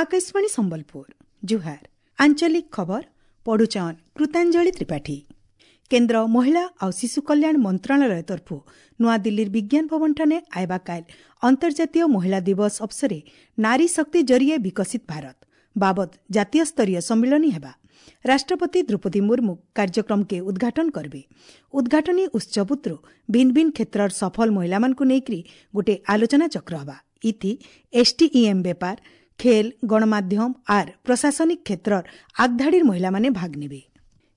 ଆକାଶବାଣୀ ସମ୍ବଲପୁର। ଜୁହାର। ଆଞ୍ଚଳିକ ଖବର ପଢୁଛନ୍ କୃତାଞ୍ଜଳି ତ୍ରିପାଠୀ। କେନ୍ଦ୍ର ମହିଳା ଆଉ ଶିଶୁ କଲ୍ୟାଣ ମନ୍ତ୍ରଣାଳୟ ତରଫୁ ନୂଆଦିଲ୍ଲୀର ବିଜ୍ଞାନ ଭବନଠାନେ ଆଇବା କାଲ ଅନ୍ତର୍ଜାତୀୟ ମହିଳା ଦିବସ ଅବସରେ ନାରୀ ଶକ୍ତି ଜରିଏ ବିକଶିତ ଭାରତ ବାବଦ ଜାତୀୟ ସ୍ତରୀୟ ସମ୍ମିଳନୀ ହେବା। ରାଷ୍ଟ୍ରପତି ଦ୍ରୌପଦୀ ମୁର୍ମୁ କାର୍ଯ୍ୟକ୍ରମକେ ଉଦ୍ଘାଟନ କରିବେ। ଉଦ୍ଘାଟନୀ ଉତ୍ସବ ଭିନ୍ନ ଭିନ୍ନ କ୍ଷେତ୍ରର ସଫଳ ମହିଳାମାନଙ୍କୁ ନେଇକରି ଗୋଟେ ଆଲୋଚନା ଚକ୍ର ହେବା। ଇଥି ଏସ୍ଟିଇଏମ୍ ବେପାର, ଖେଲ, ଗଣମାଧ୍ୟମ ଆର୍ ପ୍ରଶାସନିକ କ୍ଷେତ୍ରର ଆଗଧାଡ଼ିର ମହିଳାମାନେ ଭାଗ ନେବେ।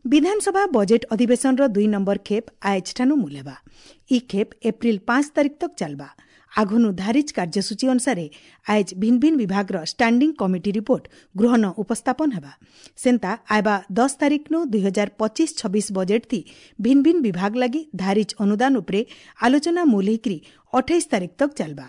ବିଧାନସଭା ବଜେଟ୍ ଅଧିବେଶନର 2 ନମ୍ବର ଖେପ୍ ଆଏଜ୍ଠାନୁ ମୂଲ ହେବା। ଇ ଖେପ୍ ଏପ୍ରିଲ 5 ତାରିଖ ତକ୍ ଚାଲବା। ଆଘନୁ ଧାରିଜ କାର୍ଯ୍ୟସୂଚୀ ଅନୁସାରେ ଆଏଜ୍ ଭିନ୍ନ ଭିନ୍ନ ବିଭାଗର ଷ୍ଟାଣ୍ଡିଂ କମିଟି ରିପୋର୍ଟ ଗୃହନ ଉପସ୍ଥାପନ ହେବା। ସେନ୍ତା ଆଇବା 10 ତାରିଖନୁ 2025-26 ବଜେଟ୍ ଥି ଭିନ୍ନ ଭିନ୍ନ ବିଭାଗ ଲାଗି ଧାରିଜ ଅନୁଦାନ ଉପରେ ଆଲୋଚନା ମୂଲ ହେଇକରି 28 ତାରିଖ ତକ୍ ଚାଲବା।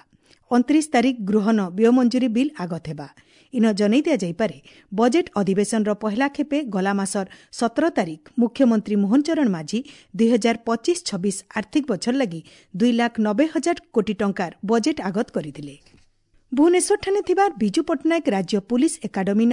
29 ତାରିଖ ଗୃହନ ବ୍ୟୟ ମଞ୍ଜୁରୀ ବିଲ୍ ଆଗତ ହେବା। ଇନ ଜଣାଇ ଦିଆଯାଇପାରେ, ବଜେଟ୍ ଅଧିବେଶନର ପହିଲା ଖେପେ ଗଲା ମାସର 17 ତାରିଖ ମୁଖ୍ୟମନ୍ତ୍ରୀ ମୋହନ ଚରଣ ମାଝୀ 2025-26 ଆର୍ଥିକ ବଛର ଲାଗି 2,90,000 କୋଟି ଟଙ୍କାର ବଜେଟ୍ ଆଗତ କରିଥିଲେ। ଭୁବନେଶ୍ୱରଠାରେ ଥିବା ବିଜୁ ପଟ୍ଟନାୟକ ରାଜ୍ୟ ପୁଲିସ୍ ଏକାଡେମୀନ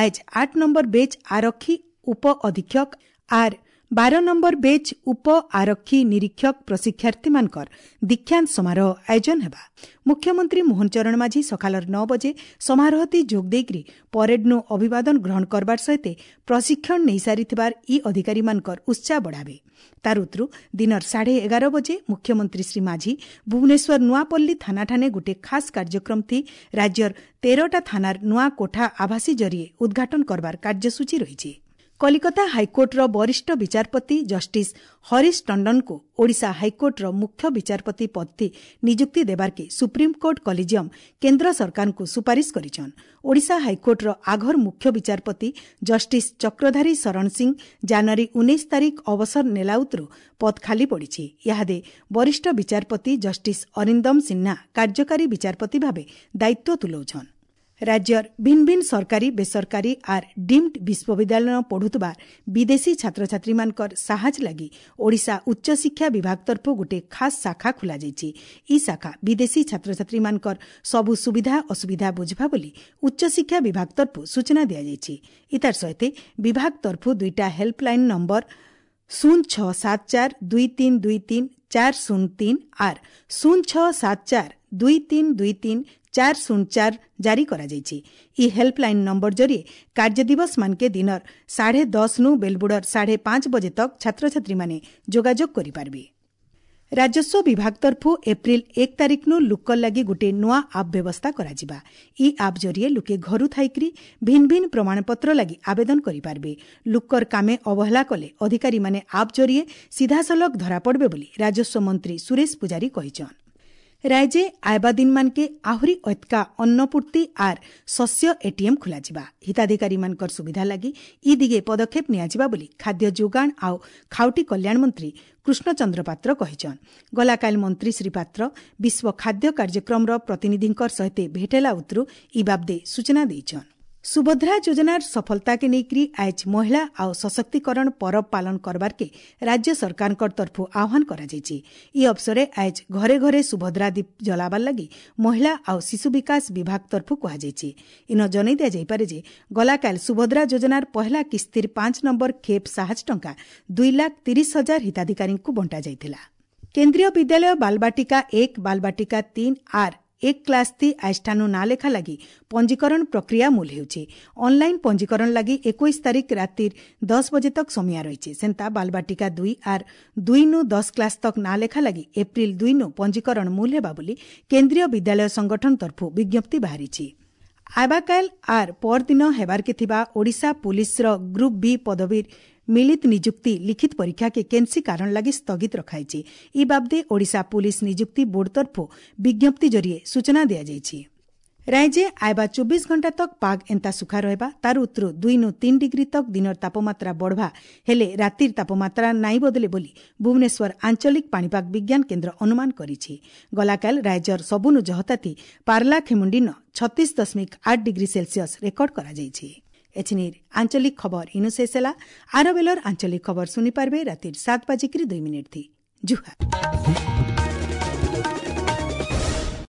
ଆଏଜ୍ 8 ନମ୍ବର ବେଚ୍ ଆରକ୍ଷୀ ଉପ ଅଧୀକ୍ଷକ ଆର୍ 12 ନମ୍ବର ବେଚ୍ ଉପ ଆରକ୍ଷୀ ନିରୀକ୍ଷକ ପ୍ରଶିକ୍ଷାର୍ଥୀମାନଙ୍କର ଦୀକ୍ଷାନ୍ତ ସମାରୋହ ଆୟୋଜନ ହେବା। ମୁଖ୍ୟମନ୍ତ୍ରୀ ମୋହନ ଚରଣ ମାଝୀ ସକାଳର 9 ବଜେ ସମାରୋହତି ଯୋଗ ଦେଇକରି ପରେଡ୍ନୁ ଅଭିବାଦନ ଗ୍ରହଣ କରବାର ସହିତ ପ୍ରଶିକ୍ଷଣ ନେଇସାରିଥିବାର ଇ ଅଧିକାରୀମାନଙ୍କର ଉତ୍ସାହ ବଢ଼ାବେ। ତାର ଉତ୍ତରୁ ଦିନର 11:30 ବଜେ ମୁଖ୍ୟମନ୍ତ୍ରୀ ଶ୍ରୀ ମାଝୀ ଭୁବନେଶ୍ୱର ନୂଆପଲ୍ଲୀ ଥାନାଠାନେ ଗୋଟିଏ ଖାସ୍ କାର୍ଯ୍ୟକ୍ରମ ଥି ରାଜ୍ୟର 13ଟା ଥାନାର ନୂଆ କୋଠା ଆଭାସୀ ଜରିଏ ଉଦ୍ଘାଟନ କରବାର କାର୍ଯ୍ୟସୂଚୀ ରହିଛି। କଲିକତା ହାଇକୋର୍ଟର ବରିଷ୍ଠ ବିଚାରପତି ଜଷ୍ଟିସ୍ ହରିଶ ଟଣ୍ଡନଙ୍କୁ ଓଡ଼ିଶା ହାଇକୋର୍ଟର ମୁଖ୍ୟ ବିଚାରପତି ପଦଥି ନିଯୁକ୍ତି ଦେବାର୍କେ ସୁପ୍ରିମକୋର୍ଟ କଲିଜିୟମ କେନ୍ଦ୍ର ସରକାରଙ୍କୁ ସୁପାରିଶ କରିଛନ୍। ଓଡ଼ିଶା ହାଇକୋର୍ଟର ଆଘର ମୁଖ୍ୟ ବିଚାରପତି ଜଷ୍ଟିସ୍ ଚକ୍ରଧାରୀ ଶରଣ ସିଂ ଜାନୁଆରୀ 19 ତାରିଖ ଅବସର ନେଲା ଉତରୁ ପଦ ଖାଲି ପଡ଼ିଛି। ଇହାଦେ ବରିଷ୍ଠ ବିଚାରପତି ଜଷ୍ଟିସ୍ ଅରିନ୍ଦମ ସିହ୍ନା କାର୍ଯ୍ୟକାରୀ ବିଚାରପତି ଭାବେ ଦାୟିତ୍ୱ ତୁଲାଉଛନ୍। ରାଜ୍ୟର ଭିନ୍ନ ଭିନ୍ନ ସରକାରୀ, ବେସରକାରୀ ଆର୍ ଡିମ୍ଡ ବିଶ୍ୱବିଦ୍ୟାଳୟ ପଢୁଥିବା ବିଦେଶୀ ଛାତ୍ରଛାତ୍ରୀମାନଙ୍କର ସାହାଯ୍ୟ ଲାଗି ଓଡ଼ିଶା ଉଚ୍ଚଶିକ୍ଷା ବିଭାଗ ତରଫରୁ ଗୋଟିଏ ଖାସ୍ ଶାଖା ଖୋଲାଯାଇଛି। ଇ ଶାଖା ବିଦେଶୀ ଛାତ୍ରଛାତ୍ରୀମାନଙ୍କର ସବୁ ସୁବିଧା ଅସୁବିଧା ବୁଝବା ବୋଲି ଉଚ୍ଚଶିକ୍ଷା ବିଭାଗ ତରଫରୁ ସୂଚନା ଦିଆଯାଇଛି। ଇତାର ସହିତ ବିଭାଗ ତରଫରୁ 2ଟା ହେଲ୍ପଲାଇନ୍ ନମ୍ବର 0674 2323 403 ଆର୍ 0674 2323 404 ଜାରି କରାଯାଇଛି। ଇ ହେଲ୍ପଲାଇନ୍ ନମ୍ବର ଜରିଏ କାର୍ଯ୍ୟଦିବସ ମାନକେ ଦିନର 10:30 ନୁ ବେଲବୁଡ଼ର 5:30 ବଜେ ତକ୍ ଛାତ୍ରଛାତ୍ରୀମାନେ ଯୋଗାଯୋଗ କରିପାରିବେ। ରାଜସ୍ୱ ବିଭାଗ ତରଫୁ ଏପ୍ରିଲ 1 ତାରିଖନୁ ଲୁକର ଲାଗି ଗୋଟିଏ ନୂଆ ଆପ୍ ବ୍ୟବସ୍ଥା କରାଯିବା। ଇ ଆପ୍ ଜରିଏ ଲୁକେ ଘରୁ ଥାଇକରି ଭିନ୍ନ ଭିନ୍ନ ପ୍ରମାଣପତ୍ର ଲାଗି ଆବେଦନ କରିପାରିବେ। ଲୁକର କାମେ ଅବହେଳା କଲେ ଅଧିକାରୀମାନେ ଆପ୍ ଜରିଏ ସିଧାସଳଖ ଧରାପଡ଼ବେ ବୋଲି ରାଜସ୍ୱ ମନ୍ତ୍ରୀ ସୁରେଶ ପୂଜାରୀ କହିଛନ୍। ରାଜ୍ୟେ ଆଇବା ଦିନମାନକେ ଆହୁରି ଅତ୍କା ଅନ୍ନପୂର୍ତ୍ତି ଆର୍ ଶସ୍ୟ ଏଟିଏମ୍ ଖୋଲାଯିବା। ହିତାଧିକାରୀମାନଙ୍କର ସୁବିଧା ଲାଗି ଇ ଦିଗେ ପଦକ୍ଷେପ ନିଆଯିବା ବୋଲି ଖାଦ୍ୟ ଯୋଗାଣ ଆଉ ଖାଉଟି କଲ୍ୟାଣ ମନ୍ତ୍ରୀ କୃଷ୍ଣଚନ୍ଦ୍ର ପାତ୍ର କହିଛନ୍। ଗଲାକାଲି ମନ୍ତ୍ରୀ ଶ୍ରୀ ପାତ୍ର ବିଶ୍ୱ ଖାଦ୍ୟ କାର୍ଯ୍ୟକ୍ରମର ପ୍ରତିନିଧିଙ୍କ ସହିତ ଭେଟେଲା ଉତରୁ ଇ ବାବଦେ ସୂଚନା ଦେଇଛନ୍। ସୁଭଦ୍ରା ଯୋଜନାର ସଫଳତାକେ ନେଇକରି ଆଏଜ୍ ମହିଳା ଆଉ ସଶକ୍ତିକରଣ ପରବ ପାଳନ କରବାର୍କେ ରାଜ୍ୟ ସରକାରଙ୍କ ତରଫରୁ ଆହ୍ୱାନ କରାଯାଇଛି। ଇ ଅବସରେ ଆଏଜ୍ ଘରେ ଘରେ ସୁଭଦ୍ରା ଦୀପ ଜଲାବାର ଲାଗି ମହିଳା ଆଉ ଶିଶୁ ବିକାଶ ବିଭାଗ ତରଫରୁ କୁହାଯାଇଛି। ଇନ ଜଣାଇ ଦିଆଯାଇପାରେ ଯେ ଗଲାକାଲି ସୁଭଦ୍ରା ଯୋଜନାର ପହିଲା କିସ୍ତିର 5 ନମ୍ବର ଖେପ୍ ସାହାଯ୍ୟ ଟଙ୍କା 2,30,000 ହିତାଧିକାରୀଙ୍କୁ ବଣ୍ଟାଯାଇଥିଲା। କେନ୍ଦ୍ରୀୟ ବିଦ୍ୟାଳୟ ବାଲବାଟିକା 1, ବାଲବାଟିକା 3 ଆର୍ 1 କ୍ଲାସ୍ ଥି ଆଏଜ୍ଠାନୁ ନାଁ ଲେଖା ଲାଗି ପଞ୍ଜୀକରଣ ପ୍ରକ୍ରିୟା ମୂଲ ହେଉଛି। ଅନ୍ଲାଇନ୍ ପଞ୍ଜୀକରଣ ଲାଗି 21 ତାରିଖ ରାତିର 10 ବଜେ ତକ୍ ସମୟ ରହିଛି। ସେନ୍ତା ବାଲବାଟିକା 2 ଆର୍ 2 ନୁ 10 କ୍ଲାସ୍ ତକ୍ ନାଁ ଲେଖା ଲାଗି ଏପ୍ରିଲ 2 ନୁ ପଞ୍ଜୀକରଣ ମୂଲ ହେବା ବୋଲି କେନ୍ଦ୍ରୀୟ ବିଦ୍ୟାଳୟ ସଂଗଠନ ତରଫରୁ ବିଜ୍ଞପ୍ତି ବାହାରିଛି। ଆବାକାଲ ଆର୍ ପରଦିନ ହେବାର୍କେ ଥିବା ଓଡ଼ିଶା ପୁଲିସ୍ର ଗ୍ରୁପ୍ ବି ପଦବୀର ମିଳିତ ନିଯୁକ୍ତି ଲିଖିତ ପରୀକ୍ଷାକେ କେନ୍ସି କାରଣ ଲାଗି ସ୍ଥଗିତ ରଖାଯାଇଛି। ଇ ବାବଦେ ଓଡ଼ିଶା ପୁଲିସ୍ ନିଯୁକ୍ତି ବୋର୍ଡ ତରଫରୁ ବିଜ୍ଞପ୍ତି ଜରିଏ ସୂଚନା ଦିଆଯାଇଛି। ରାଜ୍ୟେ ଆଇବା 24 ଘଣ୍ଟା ତକ୍ ପାଗ ଏନ୍ତା ସୁଖା ରହିବା। ତାର ଉତ୍ତରୁ 2 ନୁ 3 ଡିଗ୍ରୀ ତକ୍ ଦିନର ତାପମାତ୍ରା ବଢ଼ବା ହେଲେ ରାତିର ତାପମାତ୍ରା ନାଇଁ ବଦଲେ ବୋଲି ଭୁବନେଶ୍ୱର ଆଞ୍ଚଳିକ ପାଣିପାଗ ବିଜ୍ଞାନ କେନ୍ଦ୍ର ଅନୁମାନ କରିଛି। ଗଲାକାଲ ରାଜ୍ୟର ସବୁନୁ ଜହତାତି ପାର୍ଲା ଖେମୁଣ୍ଡିନ 36.8 ଡିଗ୍ରୀ ସେଲସିୟସ୍ ରେକର୍ଡ କରାଯାଇଛି। ଏଛିନିର ଆଞ୍ଚଳିକ ଖବର ଇନୁ ଶେଷ ହେଲା। ଆର ବେଲର ଆଞ୍ଚଳିକ ଖବର ଶୁଣିପାରିବେ ରାତିର 7:02 ଥି। ଜୁହାର।